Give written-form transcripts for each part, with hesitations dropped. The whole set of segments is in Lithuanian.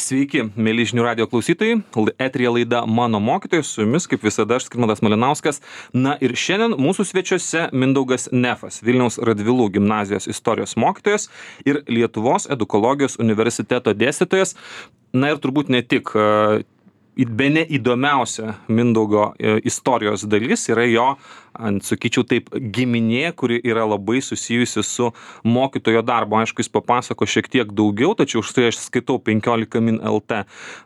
Sveiki, mėly žinių radijo klausytojai. Eteryje laida Mano mokytojas, su jumis, kaip visada, aš Skirmantas Malinauskas. Na ir šiandien mūsų svečiuose Mindaugas Nefas, Vilniaus Radvilų gimnazijos istorijos mokytojas ir Lietuvos edukologijos universiteto dėstytojas. Na ir turbūt ne tik. Bene įdomiausia Mindaugo istorijos dalis yra jo, sakyčiau taip, giminė, kuri yra labai susijusi su mokytojo darbo. Aišku, jis papasako šiek tiek daugiau, tačiau štai aš skaitau 15 min LT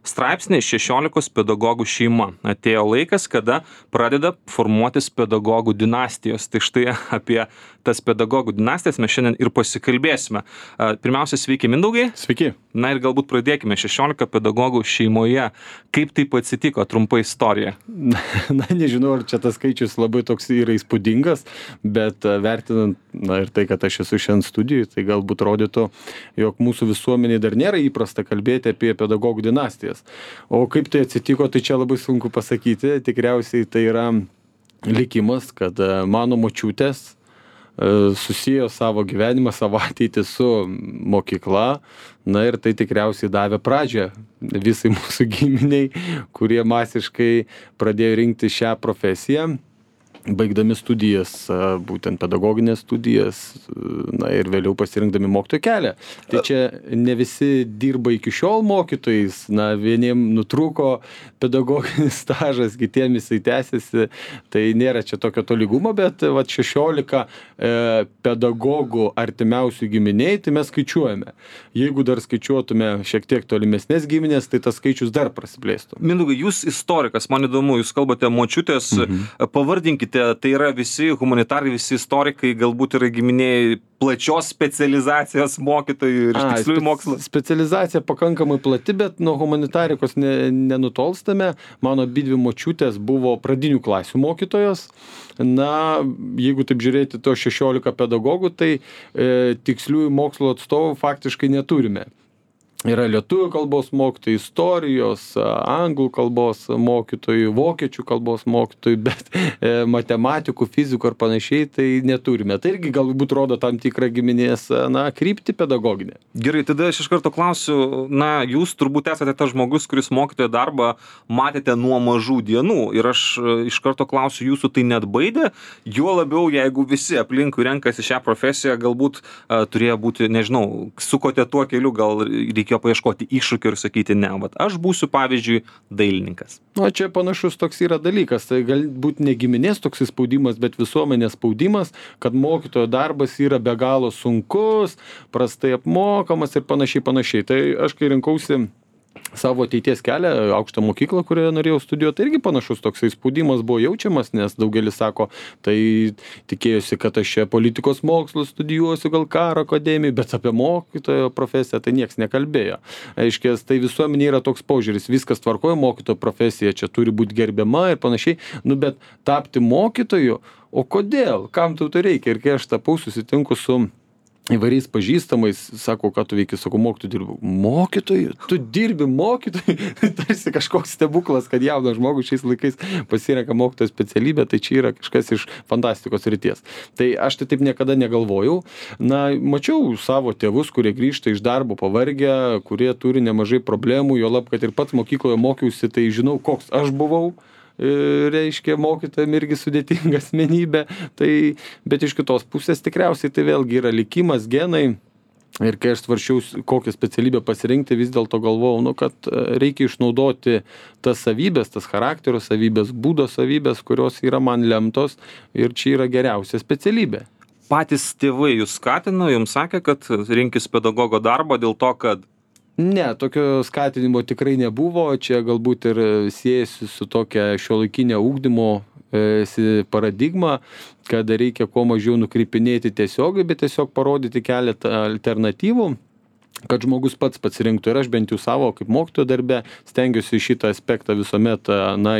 straipsnį 16 pedagogų šeima. Atėjo laikas, kada pradeda formuotis pedagogų dinastijos. Tai štai apie tas pedagogų dinastijas mes šiandien ir pasikalbėsime. Pirmiausia, sveiki Mindaugai. Sveiki. Na ir galbūt pradėkime 16 pedagogų šeimoje. Kaip taip atsitiko, trumpa istorija? Na, nežinau, ar čia tas skaičius labai toks yra įspūdingas, bet vertinant, ir tai, kad aš esu šiandien studijui, tai galbūt rodytų, jog mūsų visuomenėje dar nėra įprasta kalbėti apie pedagogų dinastijas. O kaip tai atsitiko, tai čia labai sunku pasakyti. Tikriausiai tai yra likimas, kad mano močiutės susijo savo gyvenimą, savo ateitį su mokykla. Na ir tai tikriausiai davė pradžią visai mūsų giminiai, kurie masiškai pradėjo rinkti šią profesiją, baigdami studijas, būtent pedagoginės studijas, na ir vėliau pasirinkdami mokytojo kelią. Tai čia ne visi dirba iki šiol mokytojais, na vieniem nutrūko pedagoginis stažas, kitiem jisai tęsiasi, tai nėra čia tokio tolygumo, bet 16 pedagogų artimiausių giminiai, tai mes skaičiuojame. Jeigu dar skaičiuotume šiek tiek tolimesnės giminės, tai tas skaičius dar prasiplėstų. Mindaugai, jūs istorikas, man įdomu, jūs kalbate močiutės, pavardinkite, tai yra visi humanitarai, visi istorikai, galbūt yra giminiai plačios specializacijos mokytojų ir tiksliųjų mokslų. Specializacija pakankamai plati, bet nuo humanitarikos nenutolstame. Mano abidvi močiutės buvo pradinių klasių mokytojos. Na, jeigu taip žiūrėti to 16 pedagogų, tai tiksliųjų mokslo atstovų faktiškai neturime. Yra lietuvių kalbos mokytojai, istorijos, anglų kalbos mokytojų, vokiečių kalbos mokytojų, bet matematikų, fizikų ar panašiai tai neturime. Tai irgi galbūt rodo tam tikrą giminės, kryptį pedagoginę. Gerai, tada aš iš karto klausiu, jūs turbūt esate tas žmogus, kuris mokytojo darbą matėte nuo mažų dienų ir aš iš karto klausiu, jūsų tai net baidė, juo labiau, jeigu visi aplinkui renkasi šią profesiją, galbūt turėjo būti, nežinau, sukote tuo keliu, gal reikėjo paieškoti iššūkių ir sakyti, ne, aš būsiu, pavyzdžiui, dailininkas. Čia panašus toks yra dalykas, tai galbūt ne giminės toks spaudimas, bet visuomenės spaudimas, kad mokytojo darbas yra be galo sunkus, prastai apmokamas ir panašiai. Tai aš kai rinkausi savo ateities kelią, aukštą mokyklą, kurioje norėjau studijuoti, tai irgi panašus toksai spaudimas buvo jaučiamas, nes daugelis sako, tai tikėjosi, kad aš čia politikos mokslus studijuosiu, gal karo akademijai, bet apie mokytojo profesiją tai nieks nekalbėjo. Aiškės, tai visuomenė yra toks požiūris, viskas tvarkoja, mokytojo profesija čia turi būti gerbiama ir panašiai, bet tapti mokytoju, o kodėl, kam tau tai reikia? Ir kai aš tapau, susitinku su įvairiais pažįstamais, sako, ką tu veiki, sako, mokytoju dirbu. Mokytoju? Tu dirbi mokytoju? Tarsi kažkoks stebuklas, kad jaunas žmogus šiais laikais pasirenka mokytojo specialybę, tai čia yra kažkas iš fantastikos srities. Tai aš tai taip niekada negalvojau. Mačiau savo tėvus, kurie grįžta iš darbo pavargę, kurie turi nemažai problemų, juolab, kad ir pats mokykloje mokiausi, tai žinau, koks aš buvau. Reiškia, mokytojam irgi sudėtinga asmenybė, bet iš kitos pusės tikriausiai tai vėlgi yra likimas, genai. Ir kai aš svarsčiau, kokią specialybę pasirinkti, vis dėlto galvojau, kad reikia išnaudoti tas savybės, tas charakterio savybės, būdo savybės, kurios yra man lemtos ir čia yra geriausia specialybė. Patys tėvai jūs skatino, jums sakė, kad rinkis pedagogo darbą dėl to, kad Ne, tokio skatinimo tikrai nebuvo, čia galbūt ir siejasi su tokia šiuolaikinė ugdymo paradigma, kad reikia kuo mažiau nukreipinėti tiesiogiai, bet tiesiog parodyti keletą alternatyvų, kad žmogus pats pasirinktų. Ir aš bent jau savo kaip mokytojo darbe stengiuosi šitą aspektą visuomet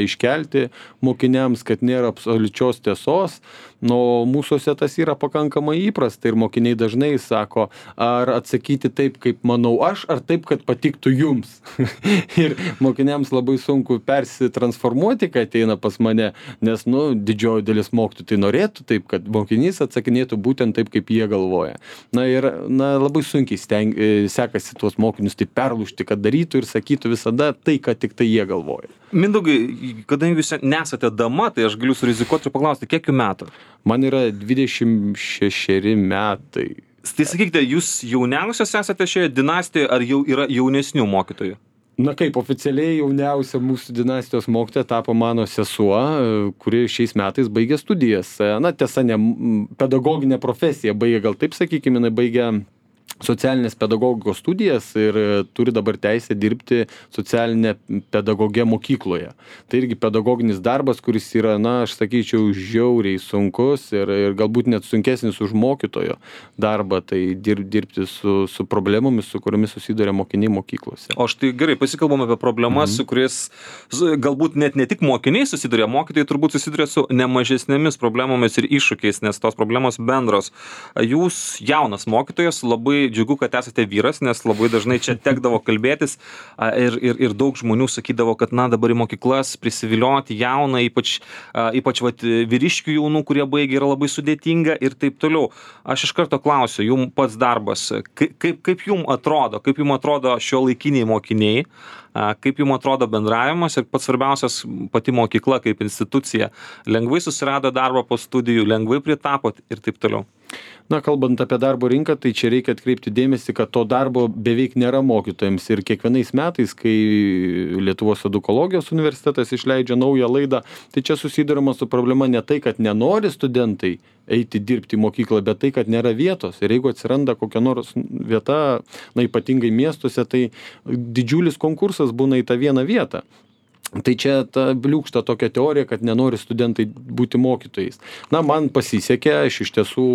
iškelti mokiniams, kad nėra absoliučios tiesos. Nu, mūsuose tas yra pakankamai įprasta ir mokiniai dažnai sako, ar atsakyti taip, kaip manau aš, ar taip, kad patiktų jums. Ir mokiniams labai sunku persitransformuoti, kai ateina pas mane, nes, didžioji dalis mokytojų tai norėtų taip, kad mokinys atsakinėtų būtent taip, kaip jie galvoja. Labai sunkiai sekasi tuos mokinius taip perlūžti, kad darytų ir sakytų visada tai, kad tik tai jie galvoja. Mindaugai, kadangi jūs nesate dama, tai aš galiu surizikuoti ir paklausti, kiek jų metų? Man yra 26 metai. Tai sakykite, jūs jauniausias esate šioje dinastijoje, ar jau yra jaunesnių mokytojų? Na kaip, oficialiai jauniausia mūsų dinastijos mokytoja tapo mano sesuo, kuri šiais metais baigė studijas. Tiesa, ne pedagoginę profesiją baigė, gal taip sakykime, jinai baigė socialinės pedagogikos studijas ir turi dabar teisę dirbti socialinę pedagogę mokykloje. Tai irgi pedagoginis darbas, kuris yra, aš sakyčiau, žiauriai sunkus ir galbūt net sunkesnis už mokytojo darbą, tai dirbti su problemomis, su kuriomis susiduria mokiniai mokyklose. O štai gerai, pasikalbam apie problemas, su kuriais galbūt net ne tik mokiniai susiduria, mokytojai turbūt susiduria su nemažesnėmis problemomis ir iššūkiais, nes tos problemos bendros. Jūs jaunas mokytojas, labai džiugu, kad esate vyras, nes labai dažnai čia tekdavo kalbėtis ir daug žmonių sakydavo, kad dabar į mokyklas prisivilioti jauną, ypač vyriškių jaunų, kurie baigia, yra labai sudėtinga ir taip toliau. Aš iš karto klausiu, jums pats darbas, kaip jums atrodo šiuolaikiniai mokiniai, kaip jums atrodo bendravimas ir pats svarbiausias pati mokykla kaip institucija, lengvai susirado darbą po studijų, lengvai pritapot ir taip toliau? Kalbant apie darbo rinką, tai čia reikia atkreipti dėmesį, kad to darbo beveik nėra mokytojams ir kiekvienais metais, kai Lietuvos edukologijos universitetas išleidžia naują laidą, tai čia susidurima su problema ne tai, kad nenori studentai eiti dirbti į mokyklą, bet tai, kad nėra vietos. Ir jeigu atsiranda kokia nors vieta, ypatingai miestuose, tai didžiulis konkursas būna į tą vieną vietą. Tai čia ta bliūkšta tokia teorija, kad nenori studentai būti mokytojais. Man pasisekė, aš iš tiesų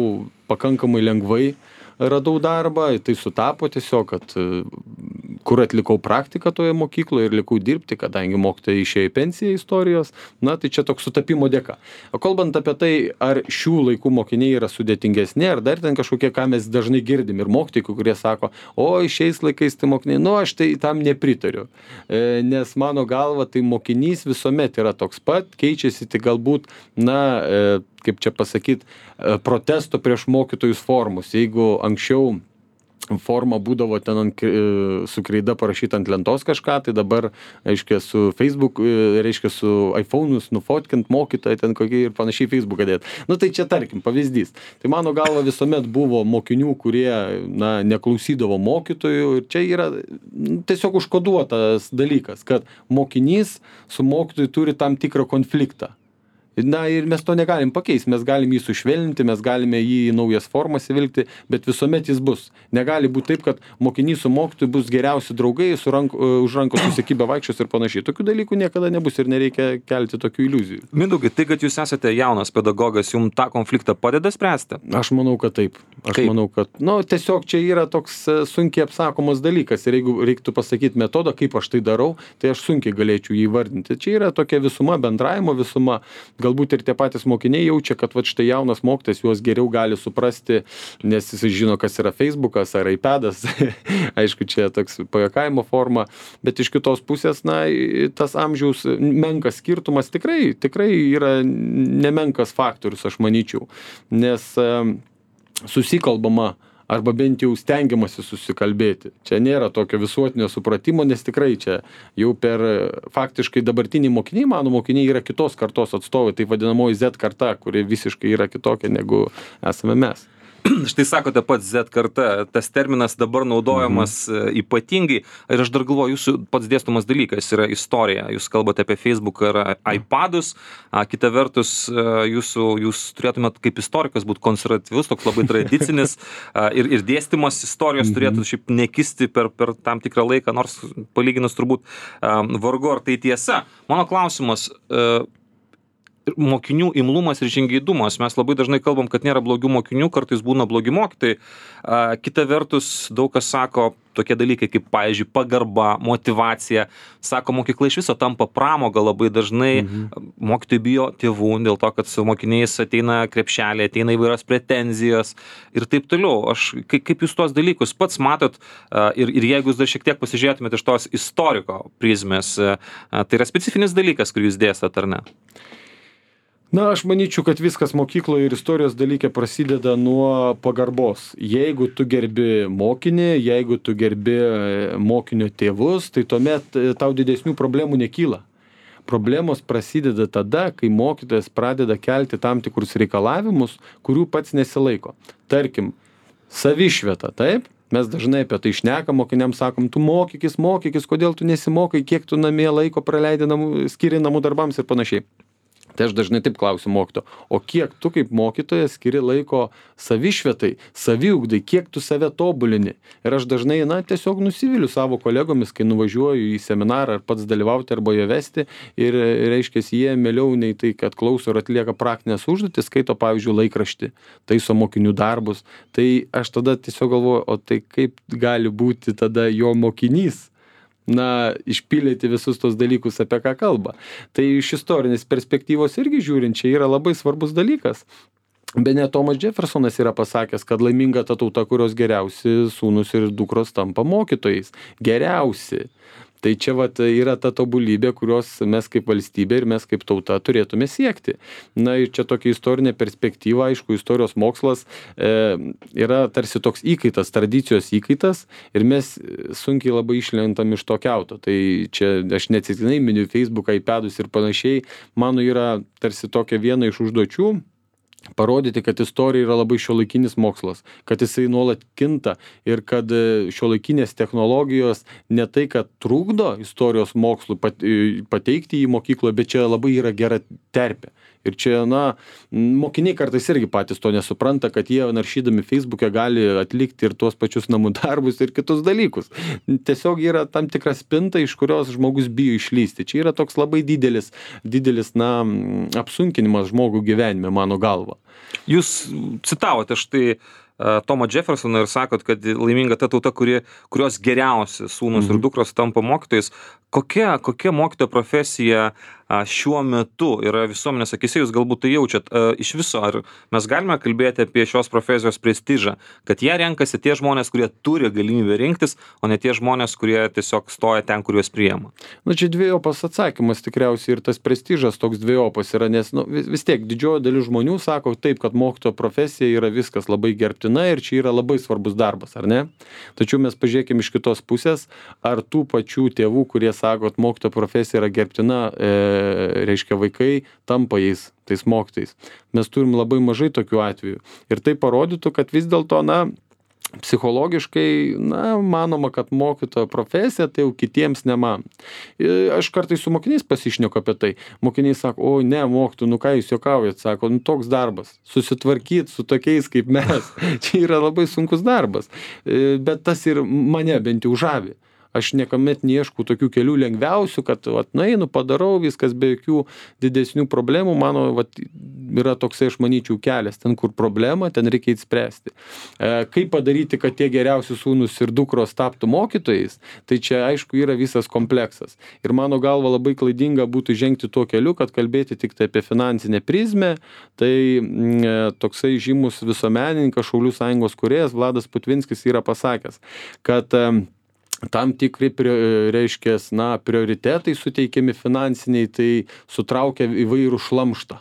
pakankamai lengvai radau darbą, tai sutapo tiesiog, kad kur atlikau praktiką toje mokykloje ir likau dirbti, kadangi mokytojai išėjo į pensiją istorijos, tai čia toks sutapimo dėka. O kalbant apie tai, ar šių laikų mokiniai yra sudėtingesni, ar dar ten kažkokie, ką mes dažnai girdim ir mokytojai, kurie sako, šiais laikais tai mokiniai, aš tai tam nepritariu. Nes mano galva, tai mokinys visuomet yra toks pat, keičiasi tik galbūt, kaip čia pasakyti, protesto prieš mokytojus formus. Jeigu anksčiau forma būdavo ten su kreida parašyta ant lentos kažką, tai dabar, reiškia, su Facebook, reiškia, su iPhone'us nufotkint mokytoją ten kokį ir panašiai Facebooką dėt. Tai čia tarkim pavyzdys. Tai mano galva visuomet buvo mokinių, kurie, neklausydavo mokytojų ir čia yra tiesiog užkoduotas dalykas, kad mokinys su mokytoju turi tam tikrą konfliktą. Ir mes to negalim pakeisti, mes galim jį sušvelninti, mes galime jį į naujas formas įvilkti, bet visuomet jis bus. Negali būti taip, kad mokinys su mokytoju bus geriausi draugai, už rankos susikibę vaikščios ir panašiai. Tokių dalykų niekada nebus ir nereikia kelti tokių iliuzijų. Mindaugai, tai, kad jūs esate jaunas pedagogas, jums tą konfliktą padeda spręsti? Aš manau, kad taip. Manau, kad, tiesiog čia yra toks sunkiai apsakomas dalykas ir jeigu reiktų pasakyti metodą, kaip aš tai darau, tai aš sunkiai galėčiau jį vardinti. Čia yra tokia visuma, bendravimo visuma. Galbūt ir tie patys mokiniai jaučia, kad štai jaunas mokytojas juos geriau gali suprasti, nes jis žino, kas yra Facebookas ar iPadas. Aišku, čia toks pajuokavimo forma, bet iš kitos pusės, tas amžiaus menkas skirtumas tikrai yra nemenkas faktorius, aš manyčiau, nes susikalbama arba bent jau stengiamasi susikalbėti. Čia nėra tokio visuotinio supratimo, nes tikrai čia jau faktiškai dabartiniai mokiniai, mano mokiniai yra kitos kartos atstovai, tai vadinamoji Z karta, kuri visiškai yra kitokia negu esame mes. Štai sakote pats Z karta, tas terminas dabar naudojamas ypatingai. Ir aš dar galvoju, jūsų pats dėstomas dalykas yra istorija. Jūs kalbate apie Facebook ar iPadus. Kita vertus, jūs turėtumėt kaip istorikas būti konservatyvus, toks labai tradicinis. Ir dėstymas istorijos turėtų šiaip nekisti per tam tikrą laiką, nors palyginus turbūt vargu ar tai tiesa. Mano klausimas, ir mokinių imlumas ir žingeidumas. Mes labai dažnai kalbam, kad nėra blogių mokinių, kartais būna blogi mokytojai. Kita vertus, daug kas sako tokie dalykai kaip, pavyzdžiui, pagarba, motyvacija. Sako, mokykla iš viso tampa pramoga labai dažnai. Mokytojai bijo tėvų dėl to, kad su mokiniais ateina krepšeliai, ateina įvairios pretenzijos ir taip toliau. Kaip jūs tuos dalykus pats matot ir jeigu jūs dar šiek tiek pasižiūrėtumėte iš tos istoriko prizmės, tai yra specifinis dalykas, kurį jūs dėstat, ar ne? Na, aš manyčiau, kad viskas mokykloje ir istorijos dalyke prasideda nuo pagarbos. Jeigu tu gerbi mokinį, jeigu tu gerbi mokinio tėvus, tai tuomet tau didesnių problemų nekyla. Problemos prasideda tada, kai mokytojas pradeda kelti tam tikrus reikalavimus, kurių pats nesilaiko. Tarkim, savišvieta, taip? Mes dažnai apie tai šnekam, mokiniams sakom, tu mokykis, kodėl tu nesimokai, kiek tu namie laiko praleidi skiri namų darbams ir panašiai. Tai aš dažnai taip klausiu mokytojo, o kiek tu kaip mokytojas skiri laiko savišvietai, saviugdai, kiek tu save tobulini. Ir aš dažnai, tiesiog nusiviliu savo kolegomis, kai nuvažiuoju į seminarą ar pats dalyvauti arba jo vesti ir, reiškia, jie mieliau nei tai, kad klauso ir atlieka praktinės užduotis, skaito, pavyzdžiui, laikraštį, taiso mokinių darbus. Tai aš tada tiesiog galvoju, o tai kaip gali būti tada jo mokinys? Išpildyti visus tos dalykus, apie ką kalba. Tai iš istorinės perspektyvos irgi žiūrint, čia yra labai svarbus dalykas. Bene Tomas Jeffersonas yra pasakęs, kad laiminga ta tauta, kurios geriausi sūnus ir dukros tampa mokytojais. Geriausi. Tai čia yra ta tobulybė, kurios mes kaip valstybė ir mes kaip tauta turėtume siekti. Ir čia tokia istorinė perspektyva, aišku, istorijos mokslas yra tarsi toks įkaitas, tradicijos įkaitas ir mes sunkiai labai išlentam iš to kiauto. Tai čia aš neatsitiktinai miniu Facebooką, iPadus ir panašiai. Mano yra tarsi tokia viena iš užduočių parodyti, kad istorija yra labai šiuolaikinis mokslas, kad jisai nuolat kinta ir kad šiuolaikinės technologijos ne tai, kad trukdo istorijos mokslų pateikti į mokyklą, bet čia labai yra gera terpė. Ir čia, mokiniai kartais irgi patys to nesupranta, kad jie naršydami Facebook'e gali atlikti ir tuos pačius namų darbus ir kitus dalykus. Tiesiog yra tam tikra spinta, iš kurios žmogus bijo išlysti. Čia yra toks labai didelis, apsunkinimas žmogų gyvenime, mano galva. Jūs citavote štai Tomą Jeffersoną ir sakot, kad laiminga ta tauta, kurios geriausi sūnus ir dukros tampa mokytojais. Kokia mokytojo profesija šiuo metu yra visuomenės akyse, jūs galbūt tai jaučiat iš viso, ar mes galime kalbėti apie šios profesijos prestižą, kad ją renkasi tie žmonės, kurie turi galimybę rinktis, o ne tie žmonės, kurie tiesiog stoja ten, kur juos priima? Čia dviejopas atsakymas tikriausiai ir tas prestižas toks dviejopas yra, nes vis tiek didžioji dalis žmonių sako taip, kad mokytojo profesija yra viskas labai gerbtina ir čia yra labai svarbus darbas, ar ne? Tačiau mes pažiūrėkime iš kitos pusės, ar tų pačių tėvų, kurie sako, kad mokytojo profesija yra gerbtina, reiškia vaikai tampa tais mokytojais. Mes turim labai mažai tokių atvejų. Ir tai parodytų, kad vis dėlto, psichologiškai, manoma, kad mokytojo profesija, tai jau kitiems ne man. Aš kartais su mokiniais pasišneku apie tai. Mokiniai sako, ne, mokytojau, ką jūs juokaujat, sako, toks darbas, susitvarkyti su tokiais kaip mes. Čia yra labai sunkus darbas. Bet tas ir mane bent jau žavi. Aš niekuomet neieškau tokių kelių lengviausių, kad nueinu, padarau viskas be jokių didesnių problemų. Mano yra toksai, aš manyčiau, kelias. Ten, kur problema, ten reikia įspręsti. Kaip padaryti, kad tie geriausi sūnus ir dukros taptų mokytojais, tai čia, aišku, yra visas kompleksas. Ir mano galva labai klaidinga būtų žengti tuo keliu, kad kalbėti tik tai apie finansinę prizmę. Tai toksai žymus visuomenininkas, Šaulių sąjungos kūrėjas Vladas Putvinskis yra pasakęs, kad tam tikri, reiškia, prioritetai suteikiami finansiniai, tai sutraukia įvairų šlamštą.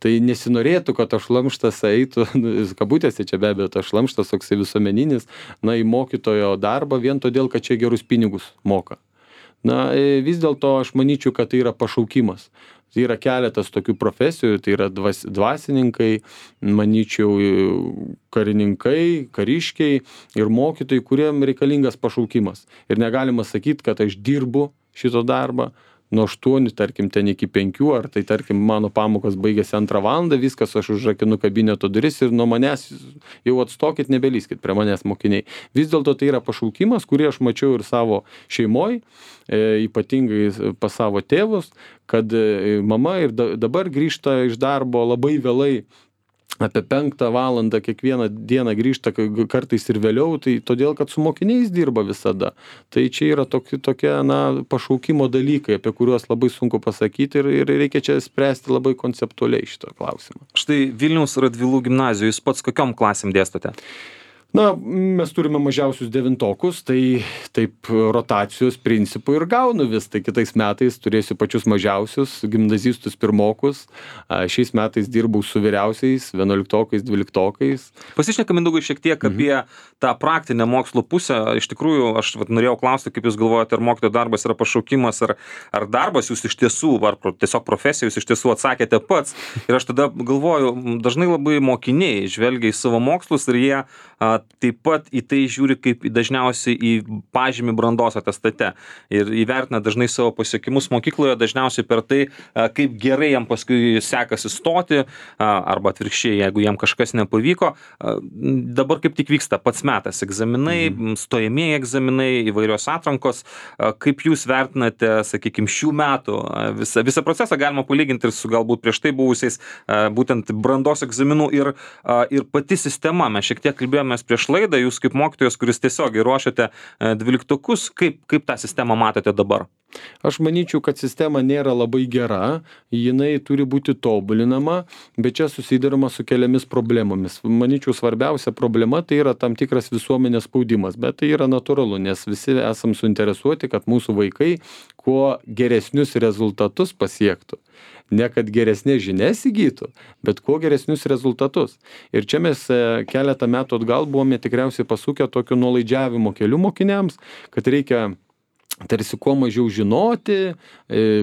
Tai nesinorėtų, kad tas šlamštas eitų, kabutėse čia be abejo, tas šlamštas toksai visuomeninis, į mokytojo darbą vien todėl, kad čia gerus pinigus moka. Vis dėlto aš manyčiau, kad tai yra pašaukimas. Tai yra keletas tokių profesijų, tai yra dvasininkai, manyčiau, karininkai, kariškiai ir mokytojai, kuriem reikalingas pašaukimas. Ir negalima sakyti, kad aš dirbu šito darbą. nuo 8, tarkim, ten iki 5, ar tai, tarkim, mano pamokos baigėsi 2 valandą, viskas, aš užrakinu kabineto duris ir nuo manęs jau atstokit, nebelyskit prie manęs mokiniai. Vis dėlto tai yra pašaukimas, kurį aš mačiau ir savo šeimoj, ypatingai pas savo tėvus, kad mama ir dabar grįžta iš darbo labai vėlai, apie 5 valandą kiekvieną dieną grįžta, kartais ir vėliau, tai todėl, kad su mokiniais dirba visada. Tai čia yra tokie, pašaukimo dalykai, apie kuriuos labai sunku pasakyti ir reikia čia spręsti labai konceptualiai šitą klausimą. Štai Vilniaus Radvilų gimnazijoje, jūs pats kokiom klasėm dėstote? Mes turime mažiausius 9-okus, tai taip rotacijos principų ir gaunu vis. Tai kitais metais turėsiu pačius mažiausius, gimnazistus 1-okus. Šiais metais dirbau su vyriausiais, 11-okais, 12-okais. Pasišnekam, Mindaugai, šiek tiek apie tą praktinę mokslo pusę. Iš tikrųjų, aš norėjau klausti, kaip jūs galvojate, ar mokytojo darbas yra pašaukimas, ar darbas jūs iš tiesų, ar tiesiog profesija jūs iš tiesų atsakėte pats. Ir aš tada galvoju, dažnai labai mokiniai žvelgia į savo mokslus ir jie taip pat į tai žiūri kaip dažniausiai į pažymį brandos atestate ir įvertina dažnai savo pasiekimus mokykloje dažniausiai per tai, kaip gerai jam paskui sekasi stoti arba atvirkščiai, jeigu jam kažkas nepavyko. Dabar kaip tik vyksta pats metas egzaminai, stojamieji egzaminai, įvairios atrankos. Kaip jūs vertinate, sakykime, šių metų visą procesą galima palyginti ir su galbūt prieš tai buvusiais būtent brandos egzaminų ir pati sistema. Mes šiek tiek kalbėjomės prieš laidą, jūs kaip mokytojas, kuris tiesiogiai ruošiate 12-okus, kaip tą sistemą matote dabar? Aš manyčiau, kad sistema nėra labai gera, jinai turi būti tobulinama, bet čia susidaroma su keliomis problemomis. Manyčiau, svarbiausia problema tai yra tam tikras visuomenės spaudimas, bet tai yra natūralu, nes visi esam suinteresuoti, kad mūsų vaikai kuo geresnius rezultatus pasiektų. Ne kad geresnės žinias įgytų, bet kuo geresnius rezultatus. Ir čia mes keletą metų atgal buvome tikriausiai pasukę tokiu nuolaidžiavimo keliu mokiniams, kad reikia tarsi kuo mažiau žinoti,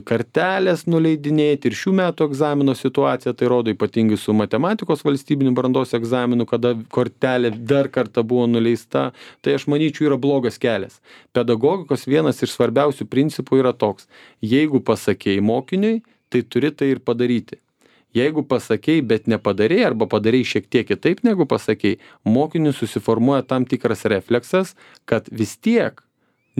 kartelės nuleidinėti. Ir šių metų egzamino situacija tai rodo, ypatingai su matematikos valstybiniu brandos egzaminu, kada kortelė dar kartą buvo nuleista. Tai aš manyčiau yra blogas kelias. Pedagogikos vienas iš svarbiausių principų yra toks: jeigu pasakei mokiniui, tai turi tai ir padaryti. Jeigu pasakei, bet nepadarei arba padarei šiek tiek kitaip negu pasakei, mokiniui susiformuoja tam tikras refleksas, kad vis tiek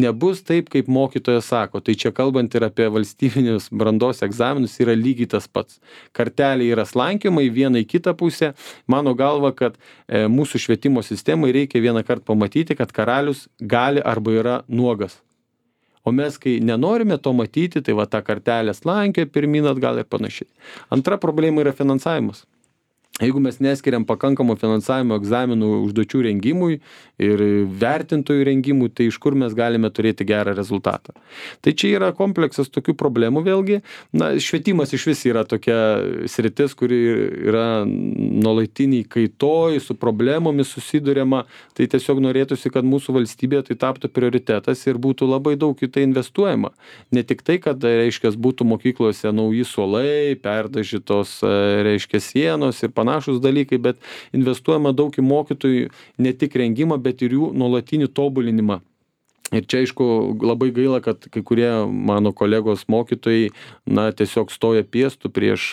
nebus taip, kaip mokytojas sako. Tai čia kalbant ir apie valstybinius brandos egzaminus yra lygiai tas pats. Kartelė yra slankioma į vieną į kitą pusę. Mano galva, kad mūsų švietimo sistemai reikia vieną kartą pamatyti, kad karalius gali arba yra nuogas. O mes, kai nenorime to matyti, tai va tą kartelę slankioja pirmyn atgal ir panašiai. Antra problema yra finansavimas. Jeigu mes neskiriam pakankamo finansavimo egzaminų užduočių rengimui ir vertintojų rengimui, tai iš kur mes galime turėti gerą rezultatą. Tai čia yra kompleksas tokių problemų vėlgi. Švietimas iš vis yra tokia sritis, kuri yra nuolatiniai kaitoj, su problemomis susiduriama. Tai tiesiog norėtųsi, kad mūsų valstybėje tai taptų prioritetas ir būtų labai daug į tai investuojama. Ne tik tai, kad, reiškia, būtų mokyklose nauji suolai, perdažytos, reiškia, sienos ir panašus dalykai, bet investuojama daug į mokytojų ne tik rengimą, bet ir jų nuolatinį tobulinimą. Ir čia, aišku, labai gaila, kad kai kurie mano kolegos mokytojai, tiesiog stoja piestų prieš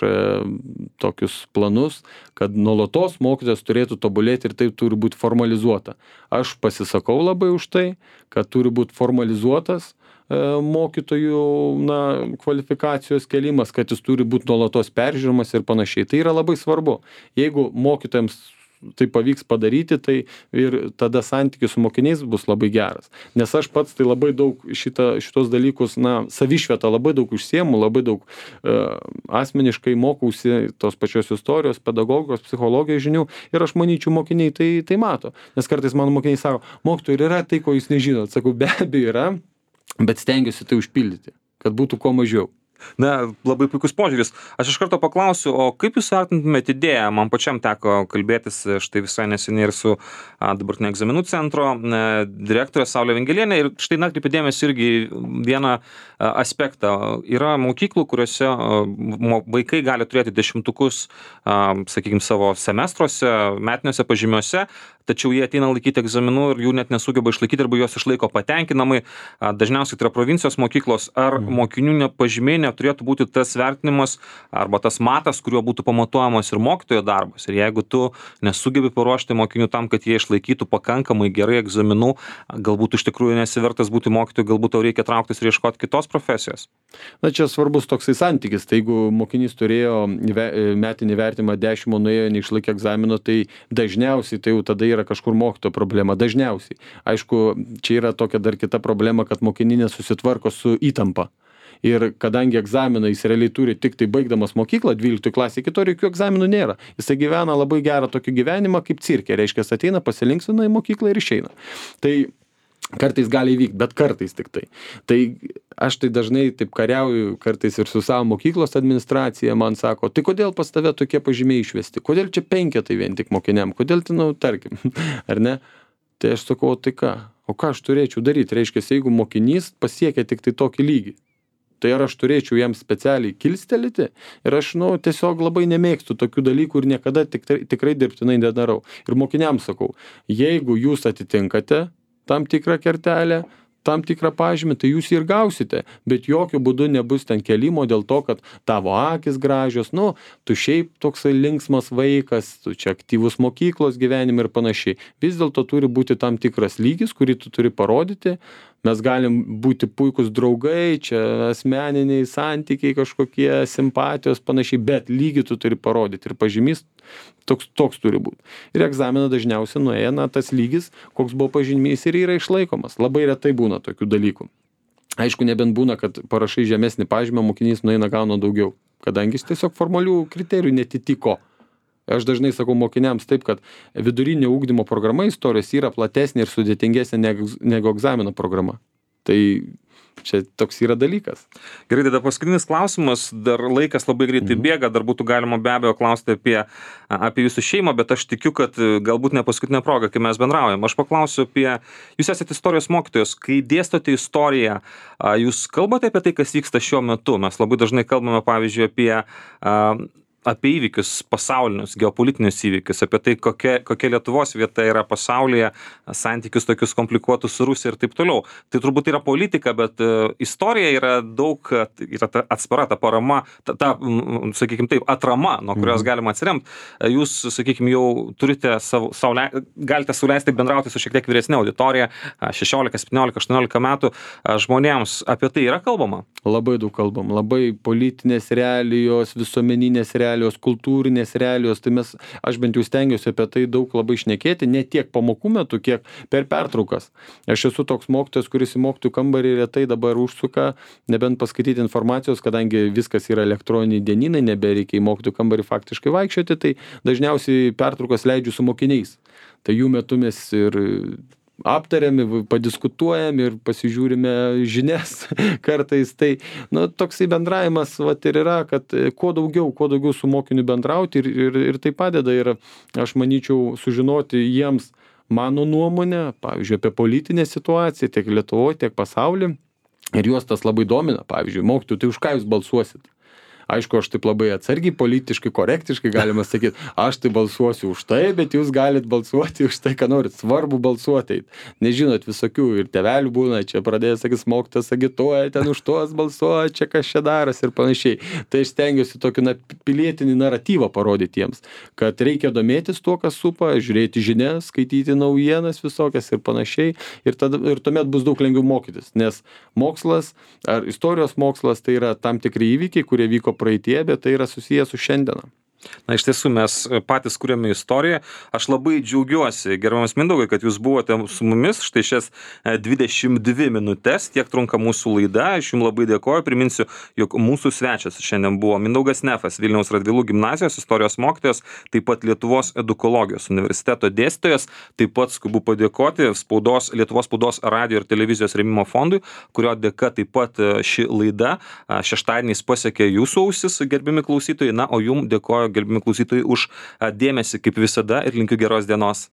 tokius planus, kad nuolatos mokytojas turėtų tobulėti ir tai turi būti formalizuota. Aš pasisakau labai už tai, kad turi būti formalizuotas mokytojų kvalifikacijos kėlimas, kad jis turi būti nuolatos peržiūrimas ir panašiai. Tai yra labai svarbu. Jeigu mokytojams tai pavyks padaryti, tai ir tada santykis su mokiniais bus labai geras. Nes aš pats tai labai daug šitos dalykus, savišvietą labai daug užsiemu, labai daug asmeniškai mokausi tos pačios istorijos, pedagogikos, psichologijos žinių ir aš manyčiau, mokiniai tai mato. Nes kartais mano mokiniai sako, mokytojai, yra tai, ko jūs nežinot. Sakau, be abejo yra, bet stengiuosi tai užpildyti, kad būtų kuo mažiau. Labai puikus požiūris. Aš iš karto paklausiu, o kaip jūs vertintumėte idėją? Man pačiam teko kalbėtis štai visai neseniai ir su dabartinio egzaminų centro direktorė Saulė Vingelienė ir štai atkreipė dėmesį irgi vieną aspektą. Yra mokyklų, kuriuose vaikai gali turėti 10-tukus, sakykime, savo semestruose, metiniuose pažymiuose, tačiau jie ateina laikyti egzaminų ir jų net nesugeba išlaikyti arba juos išlaiko patenkinamai. Dažniausiai tai yra provincijos mokyklos. Ar mokinių pažymiai neturėtų būti tas vertinimas arba tas matas, kuriuo būtų pamatuojamas ir mokytojo darbas? Ir jeigu tu nesugebi paruošti mokinių tam, kad jie išlaikytų pakankamai gerai egzaminų, galbūt iš tikrųjų nesivertas būti mokytoju, galbūt tau reikia trauktis ir ieškoti kitos profesijos. Na, čia svarbus toksai santykis. Tai jeigu mokinys turėjo metinį vertimą 10, nuėjo, neišlaikė egzamino, tai dažniausiai tai jau tada yra kažkur mokytojo problema. Dažniausiai. Aišku, čia yra tokia dar kita problema, kad mokiniai nesusitvarko su įtampa. Ir kadangi egzaminą jis realiai turi tik tai baigdamas mokyklą, 12 klasė, iki to jokių egzaminų nėra. Jisai gyvena labai gerą tokį gyvenimą kaip cirke. Reiškia, ateina, pasilinksmina į mokyklą ir išeina. Tai kartais gali įvykti, bet kartais tik tai. Tai aš tai dažnai taip kariauju kartais ir su savo mokyklos administracija, man sako, tai kodėl pas tave tokie pažymiai išvesti? Kodėl čia 5 vien tik mokiniam? Kodėl tai, tarkim, ar ne? Tai aš sakau, tai ką? O ką aš turėčiau daryti? Reiškia, jeigu mokinys pasiekia tik tai tokį lygį, tai ar aš turėčiau jam specialiai kilstelėti? Ir aš, tiesiog labai nemėgstu tokių dalykų ir niekada tikrai dirbtinai nedarau. Ir mokiniams sakau, jeigu jūs atitinkate tam tikrą kertelę, tam tikrą pažymį, tai jūs ir gausite, bet jokių būdų nebus ten kelimo dėl to, kad tavo akis gražios, tu šiaip toksai linksmas vaikas, tu čia aktyvus mokyklos gyvenime ir panašiai. Vis dėlto turi būti tam tikras lygis, kurį tu turi parodyti. Mes galim būti puikūs draugai, čia asmeniniai santykiai kažkokie, simpatijos, panašiai, bet lygį tu turi parodyti ir pažymys toks turi būti. Ir egzaminą dažniausiai nueina tas lygis, koks buvo pažymys ir yra išlaikomas. Labai retai būna tokių dalykų. Aišku, nebent būna, kad parašai žemesnį pažymą, mokinys nueina gauna daugiau, kadangi jis tiesiog formalių kriterijų netitiko. Aš dažnai sakau mokiniams taip, kad vidurinio ugdymo programa istorijos yra platesnė ir sudėtingesnė negu egzamino programa. Tai čia toks yra dalykas. Gerai, tada paskutinis klausimas, dar laikas labai greitai bėga, dar būtų galima be abejo klausti apie jūsų šeimą, bet aš tikiu, kad galbūt ne paskutinė proga, kai mes bendraujam. Aš paklausiu jūs esate istorijos mokytojos, kai dėstote istoriją, jūs kalbate apie tai, kas vyksta šiuo metu. Mes labai dažnai kalbame, pavyzdžiui, apie įvykius pasaulinius, geopolitinius įvykius, apie tai, kokia Lietuvos vieta yra pasaulyje, santykius tokius komplikuotus su Rusija ir taip toliau. Tai turbūt yra politika, bet istorija yra daug, yra ta atspara, ta parama, sakykime taip, atrama, nuo kurios galima atsiremti. Jūs, sakykime, jau turite galite sauliaisti bendrauti su šiek tiek vyresnė auditorija, 16, 17, 18 metų žmonėms. Apie tai yra kalbama? Labai daug kalbam. Labai politinės realijos, visuomeninės realijos, kultūrinės realijos, tai aš bent jau stengiuosi apie tai daug labai šnekėti, ne tiek pamokų metu, kiek per pertraukas. Aš esu toks mokytojas, kuris į mokytojų kambarį retai dabar užsuka, nebent paskaityti informacijos, kadangi viskas yra elektroniniai dienynai, nebereikia į mokytojų kambarį faktiškai vaikščioti, tai dažniausiai pertraukas leidžiu su mokiniais. Tai jų metu mes ir aptariam, padiskutuojam ir pasižiūrime žinias kartais. Tai toksai bendravimas ir yra, kad kuo daugiau su mokiniu bendrauti ir tai padeda. Ir aš manyčiau sužinoti jiems mano nuomonę, pavyzdžiui, apie politinę situaciją tiek Lietuvoje, tiek pasaulyje. Ir juos tas labai domina. Pavyzdžiui, mokytojų, tai už ką jūs balsuosit? Aišku, aš taip labai atsargiai, politiškai, korektiškai galima sakyti, aš tai balsuosiu už tai, bet jūs galit balsuoti už tai, ką norit. Svarbu balsuoti. Nežinot, visokių ir tėvelių būna, čia pradėjęs, sakys, mokytojas agituoja, ten už tuos balsuoja, čia kas čia daras ir panašiai. Tai aš stengiuosi tokį pilietinį naratyvą parodyti jiems, kad reikia domėtis tuo, kas supa, žiūrėti žinias, skaityti naujienas visokias ir panašiai. Ir tuomet bus daug lengviau mokytis, nes mokslas ar istorijos mokslas tai yra tam tikri įvykiai, kurie vyko praeitie, bet tai yra susijęs su šiandiena. Na, iš tiesų, mes patys kuriame istoriją. Aš labai džiaugiuosi, gerbiamas Mindaugai, kad jūs buvote su mumis štai šias 22 minutės, tiek trunka mūsų laida. Aš jums labai dėkoju. Priminsiu, jog mūsų svečias šiandien buvo Mindaugas Nefas, Vilniaus Radvilų gimnazijos istorijos mokytojas, taip pat Lietuvos edukologijos universiteto dėstytojas. Taip pat skubu padėkoti Lietuvos spaudos, radijo ir televizijos rėmimo fondui, kurio dėka taip pat ši laida šeštadieniais pasiekė jūsų ausis, gerbiami klausytojai. Na, o jums dėkoju, gerbiami klausytojai, už dėmesį kaip visada ir linkiu geros dienos.